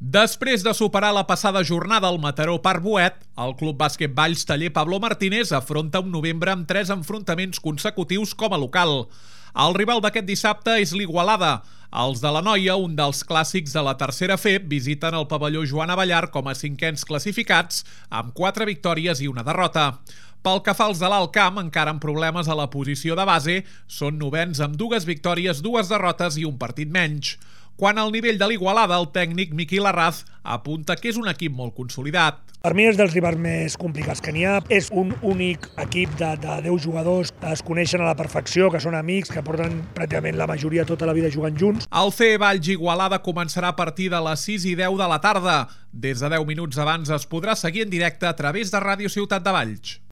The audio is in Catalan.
Després de superar la passada jornada al Mataró Parc Boet, el Club Bàsquet Valls Taller Pablo Martínez afronta un novembre amb 3 enfrontaments consecutius com a local. El rival d'aquest dissabte és l'Igualada. Els de l'Anoia, un dels clàssics de la tercera FEB, visiten el pavelló Joan Abellar com a cinquens classificats, amb 4 victòries i una derrota. Pel que fa als de l'Alt Camp, encara amb problemes a la posició de base, són novens amb 2 victòries, 2 derrotes i un partit menys. Quant al nivell de l'Igualada, el tècnic Miqui Larraz apunta que és un equip molt consolidat. Per mi és dels rivals més complicats que n'hi ha. És un únic equip de 10 jugadors que es coneixen a la perfecció, que són amics, que porten pràcticament la majoria tota la vida jugant junts. El CE Valls Igualada començarà a partir de les 6:10 de la tarda. Des de 10 minuts abans es podrà seguir en directe a través de Ràdio Ciutat de Valls.